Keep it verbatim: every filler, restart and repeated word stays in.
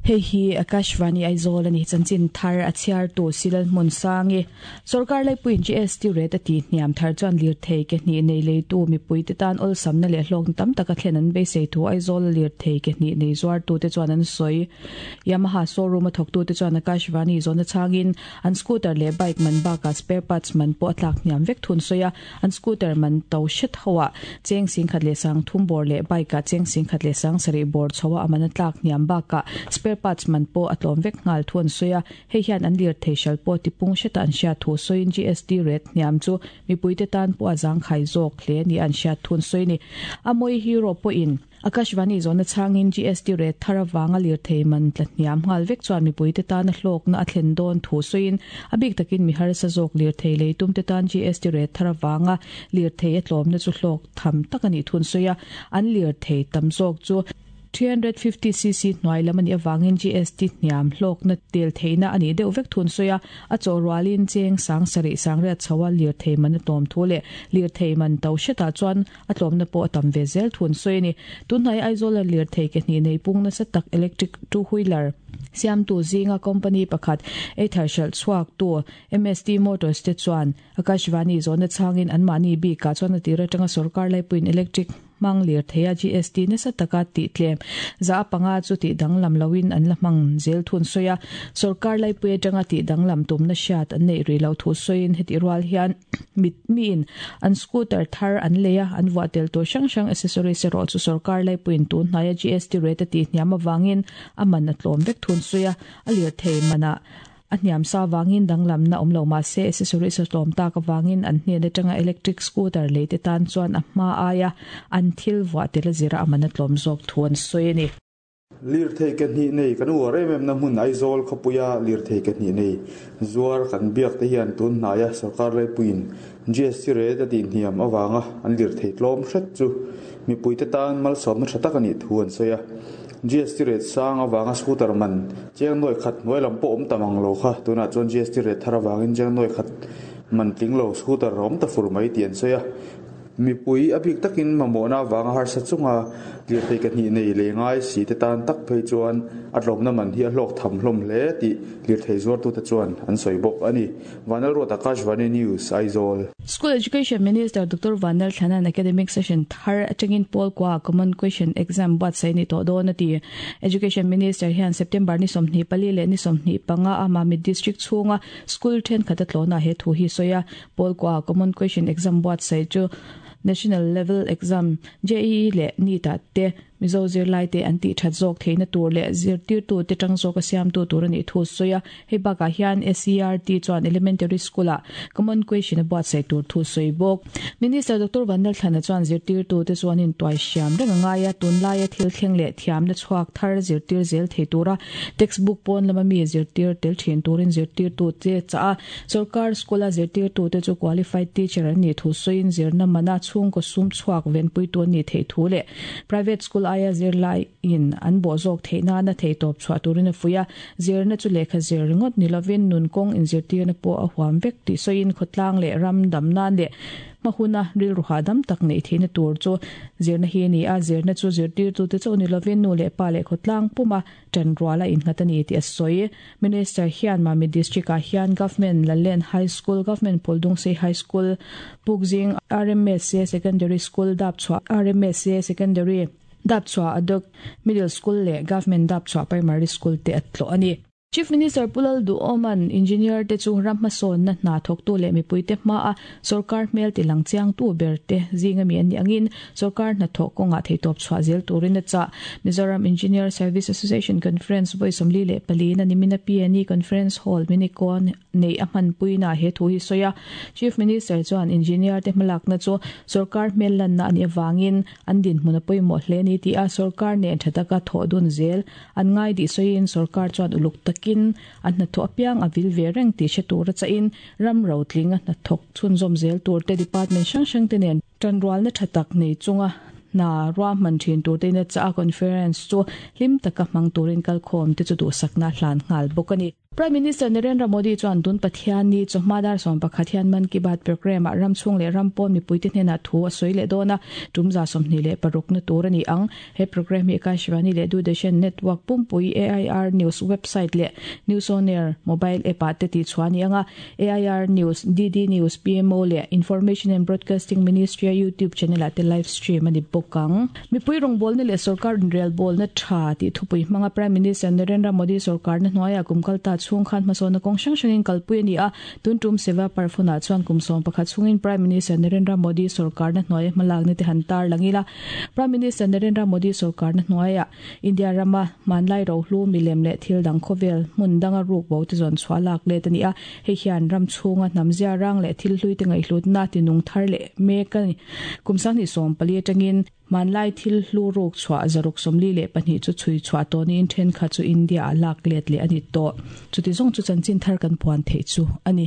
Hei hi Akashvani Aizawl ani chanchin thar a chhiar tu Silal hmun sangi sarkar laipuiin G S T rate a ti hniam thar chuan lirthei ke hnih nei leitu mipui te tan awlsam na leh hlawk tam taka thlen an beisei thu Aizawl lirthei ke hnih nei zuar tu te chuan an sawi Yamaha showroom a thawk tu te chuan Akashvani zawna changin an scooter leh bike man baka spare parts man pawh a tlak hniam vek thun sawi a an scooter man to hret hoa cheng sing khat leh sang thum bawr leh bike ah cheng sing khat leh sang sarih bawr chhoa a man a tlak hniam baka spare parts man po atlom vek ngal thun soya hei hian an lir thei shal po ti pung sheta an sha thu soin G S T rate niam chu mipuite tan po azang khai zawk hle ni an sha thun soini amoi hero po in Akashvani zona changin G S T rate tharawanga lir thei man tlatniam ngal vek chuan mipuite tan hlok na athlen don thu soin abik takin mi har sa zawk lir thei lei tum te tan G S T rate tharawanga lir thei atlom na chu hlok tham takani thun soya an lir thei tam zawk chu three hundred fifty c c hnuai lam ani awangin G S T hniam hlawk na tel theina ani deuh vek thun soya a chaw rualin cheng sang sarih sang riat chhoa lir thei man a tlawm thu leh lir thei man to hretah chuan a tlawmna pawh a tam ve zel thun sawi ani tunhnai Aizawl a lir thei ke hnih nei pung nasa tak electric two wheeler siamtu zinga company pakhat eithar hralh chhuak tu M S T Motors te chuan Akashvani zawna changin an mahni bikah chuan a tir atanga sarkar laipuiin electric mang lir theia G S T nasa taka ti tlem za panga chu ti danglam loin an la hmang zel thun soya sarkar laipui atanga ti danglam tumna hriat an nei ri lo thu soin heti rual hian mit min an scooter thar an leia an vuah tel tur hrang hrang accessories erawh chu sarkar laipuiin tun hnaia G S T rate ti hniam awangin a man a tlawm vek thun soya a lir thei mana a hniam sa wangin danglam na awm lo ma se accessories a tlawm tak awangin an hnen atanga electric scooter lei te tan chuan a hma aia an thil vuah tel a zira a man a tlawm zawk thu an sawi ani. Lir thei ke hnih nei kan uar em em na hmun Aizawl khawpuia lir thei ke hnih nei zuar kan biak te hian tun hnaia sarkar laipuiin G S T rate a ti hniam awanga an lir thei tlawm hret chu mipui te tan malsawmna tha tak ani thu an sawi a G S T rate sang awanga scooter man cheng noi khat hnuai lam pawh awm tamang lo kha tunah chuan G S T rate thar awangin cheng noi khat man tling lo scooter awm ta fur mai ti an sawi a mipui a bik takin mamawhna awanga harsa chunga lir thei ke hnih nei leh ngai si te tan tak phei chuan a tlawmna man hi a hlawk tham hlawm hle tih lir thei zuar tu te chuan an sawi bawk ani Vanal Ruat Akashvani News Aizawl. School Education Minister Doctor Vanal Thlanan academic session thar atangin pawl kwa common question exam buatsaih ni tawh dawn a ti Education Minister hian September ni sawmhnih pali leh ni sawmhnih panga a Mamit district chhunga school thenkhat a tlawna he thu hi sawi a pawl kwa common question exam buatsaih chu national level exam J E E leh NEET ah te Mizo zirlai te an tih that zawk theihna tur leh zirtir tu te tang zawk a siam tu tur ani thu sawi a hei bakah hian S C R T chuan elementary school ah common question a buatsaih tur thu sawi bawk Minister Doctor Vanal Thlana chuan zirtir tu te chuan in tuai hriam reng a ngai a tunlaia thil thleng leh thiamna chhuak thar zirtir zel thei tura textbook pawn lama mi zirtir tel thin turin zirtir tu te cha a sarkar school a zirtir tu te chu qualified teacher an ni thu sawiin zirna mana chhung ko sum chhuak venpui tu ani thei thu leh private school aia zirlai in an bo zawk theihna na thei tawp chhuah turin a fuia zirna chu lehkha zir ringawt ni lovin nun kawng inzirtirna pawh a huam vek tih sawiin khawtlang leh ram dam nan leh hmahuna rilru hahdam tak nei theihna tur chu zirna hi ani a zirna chu zirtir tu te chu ni lovin nu leh pa leh khawtlang puma tan ruala innghat ani tih a sawi Minister hian Mamit district ah hian Government Lalen High School Government Phuldungsei High School Pukzing R M S A Secondary School Dapchhuah R M S A Secondary Dapchhuah Adok Middle School leh Government Dapchhuah Primary School te a tlawh ani. Chief Minister Pulal Duoman engineer te chu ram hmasawn na hna thawk tu leh mipui te hma a sarkar hmel ti lang chiang tu ber te zinga mi an ni angin sarkar hna thawk kawngah theitawp chhuah zel turin a chah Mizoram Engineer Service Association Conference vawi sawmli leh pali na nimina P N E Conference Hall Minikon nei a hmanpuina he thu hi sawi a Chief Minister chuan engineer te hmalakna chu sarkar hmel lanna ani awangin an din hmun a pawimawh hle ni ti a sarkar nen tha taka thawh dun zel an ngai di sawiin sarkar chuan uluk tak in an hna thawh apiang a vil ve reng tih hre tur a chahin ram ro tling a hna thawk chhunzawm zel tur te department hrang hrang te nen tanrualna tha tak nei chunga na ruah hman thin tur te in a chah a conference chu hlim taka hmang turin kalkhawm te chu duhsakna hlan nghal bawk ani. Prime Minister Narendra Modi chuan tun Pathianni chawhma dar sawm pakhat hian Man Ki Baat program ah ram chhung leh ram pawn mipuite hnenah thu a sawi leh dawn a, tum za sawmhnih leh paruk na tur a ni ang. He program hi Akashvani leh Doordarshan Network pumpui A I R News website leh News on Air mobile app ah te tihchhuah a ni ang a, A I R News, D D News, P M O leh Information and Broadcasting Ministry a YouTube channel ah te live stream a ni bawk ang. Mipui rawngbawlna leh sorkar inrelbawlna tha tih thupui hmanga Prime Minister Narendra Modi sorkarna hnuaiah kum kalta chhung khan hmasawnna kawng hrang hrangin kalpui a ni a, tun tum Seva Parv hunah chuan kum sawm pakhat chhungin Prime Minister Narendra Modi sorkarna hnuaia hmalakna te han tar lang ila. Prime Minister Narendra Modi sorkarna hnuaiah India rama hmanlai rohlu milem leh thil dang khawvel hmun danga ruk bo te zawn chhuah lak let a ni a, hei hian ram chhunga hnam zia rang leh thil hlui te ngaihhlutna tinung thar leh mek a ni. Kum sanghnih sawm pali atangin hmanlai thil hlu ruk chhuah zaruk sawmli leh pahnih chu chhui chhuah tawh niin thenkhat chu India ah lak let leh a ni tawh. Chuti zawng chu chanchin thar kan puan theih chu a ni.